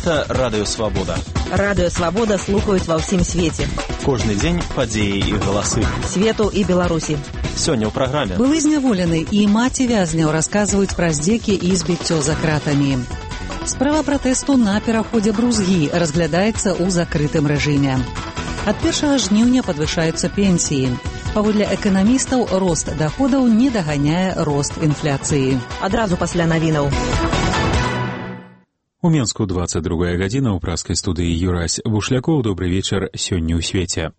Гэта Радыё Свабода. Радыё Свабода слухаюць ва ўсім свеце. Кожны дзень падзеі і галасы. Свету і Беларусі. Сёння ў праграме. Былы зняволены і маці вязняў расказваюць пра здзекі і збіццё за кратамі. Справа пратэсту на пераходзе Брузгі разглядаецца ў закрытым рэжыме. Ад 1 жніўня падвышаюцца пенсіі. Паводле эканамістаў, рост даходаў не даганяе рост інфляцыі. Адразу пасля навінаў. У Менску 22 гадзіна ў праскай студыі Юрась Бушлякоў. Добры вечар сёння ў свеце.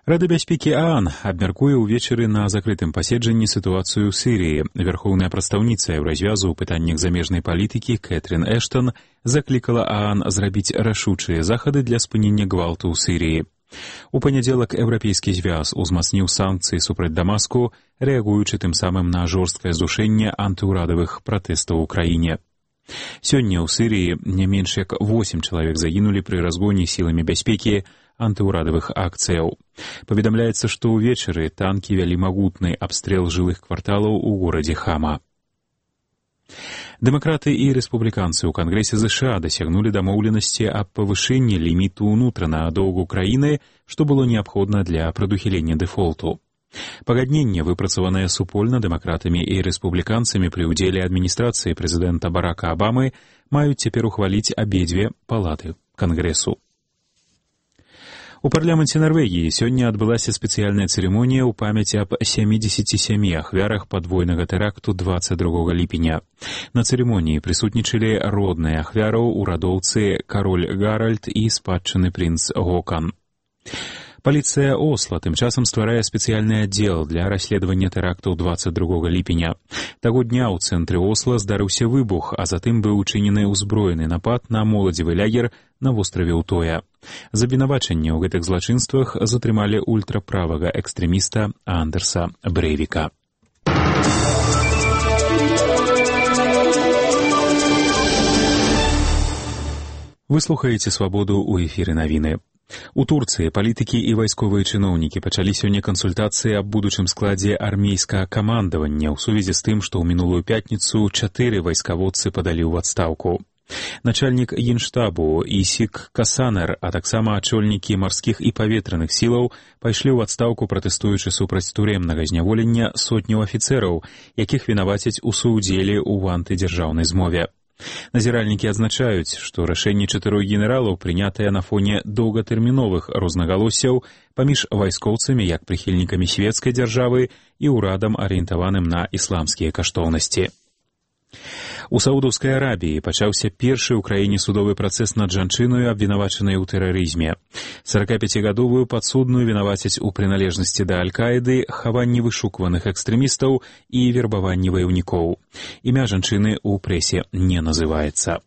Рада бяспекі ААН абмяркуе ўвечары на закрытым паседжанні сітуацыю ў Сірыі. Верхоўная прадстаўніца Еўразвязу ў пытаннях замежнай палітыкі Кэтрин Эштон заклікала ААН зрабіць рашучыя захады для спынення гвалту ў Сірыі. У панядзелак Еўрапейскі звяз узмацніў санкцыі супраць Дамаску, рэагуючы тым самым на жорсткае здушэнне антыўрадавых пратэстаў у краіне. Сёння ў Сірыі не менш як 8 чалавек загінулі пры разгоне сіламі бяспекі антыўрадавых акцыяў. Паведамляецца, што ўвечары танкі вялі магутны абстрэл жылых кварталаў у горадзе Хама. Дэмакраты і рэспубліканцы ў Кангрэсе ЗША дасягнулі дамоўленасці аб павышэнні ліміту ўнутранага доўгу краіны, што было неабходна для прадухілення дэфолту. Пагадненне, выпрацаванае супольна дэмакратамі і рэспубліканцамі пры ўдзеле адміністрацыі прэзідэнта Барака Абамы, маюць цяпер ухваліць абедзве палаты Кангрэсу. У парламенце Нарвегіі сёння адбылася спецыяльная цырымонія ў памяць аб 77 ахвярах падвойнага тэракту 22 ліпеня. На цырымоніі прысутнічалі родныя ахвяраў, урадоўцы кароль Гаральд і спадчынны прынц Гокан. Паліцыя Осла тым часам стварае спецыяльны аддзел для расследавання тэрактаў 22 ліпеня. Таго дня ў цэнтры Осла здарыўся выбух, а затым быў учынены ўзброены напад на моладзевы лагер на востраве Утоя. За абвінавачанне ў гэтых злачынствах затрымалі ультраправага экстрэміста Андерса Брэйвіка. Вы слухаеце «Свабоду» ў эфіры навіны. У Турцыі палітыкі і вайсковыя чыноўнікі пачалі сёння кансультацыі аб будучым складзе армейскага камандавання ў сувязі з тым, што ў мінулую пятніцу 4 вайскаводцы падалі ў адстаўку. Начальнік генштабу Исик Касанер, а таксама ачольнікі марскіх і паветраных сілаў пайшлі ў адстаўку, пратэстуючы супраць турэмнага зняволення сотняў афіцэраў, якіх вінавацяць у суўдзеле ў антыдзяржаўнай змове. Назіральнікі адзначаюць, што рашэнне 4 генералаў прынятае на фоне доўгатэрміновых рознагалоссяў паміж вайскоўцамі як прыхільнікамі свецкай дзяржавы і ўрадам, арыентаваным на ісламскія каштоўнасці. У Саудаўскай Арабіі пачаўся першы ў краіне судовы працэс над жанчынаю, абвінавачанай у тэрарызме. 45-гадовую падсудную вінавацяць у прыналежнасці да Аль-Каіды, хаванні вышукваных экстрэмістаў і вербаванні ваяўнікоў. Імя жанчыны ў прэсе не называецца.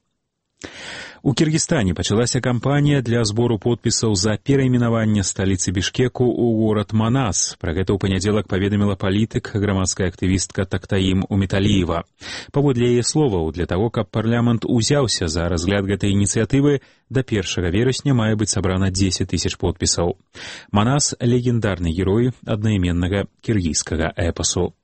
У Кіргізстане пачалася кампанія для збору подпісаў за перайменаванне сталіцы Бішкеку ў горад Манас. Пра гэта ў панядзелак паведаміла палітык, грамадская актывістка Тактаім Уміталіева. Паводле яе словаў, для таго, каб парламент узяўся за разгляд гэтай ініцыятывы, да 1 верасня мае быць сабрана 10 000 подпісаў. Манас — легендарны герой аднайменнага кіргізскага эпасу.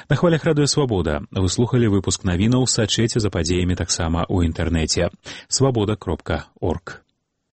На хвалях Радыё Свабода вы слухалі выпуск навінаў, сачыце за падзеямі таксама ў інтэрнэце. Свабода.орг.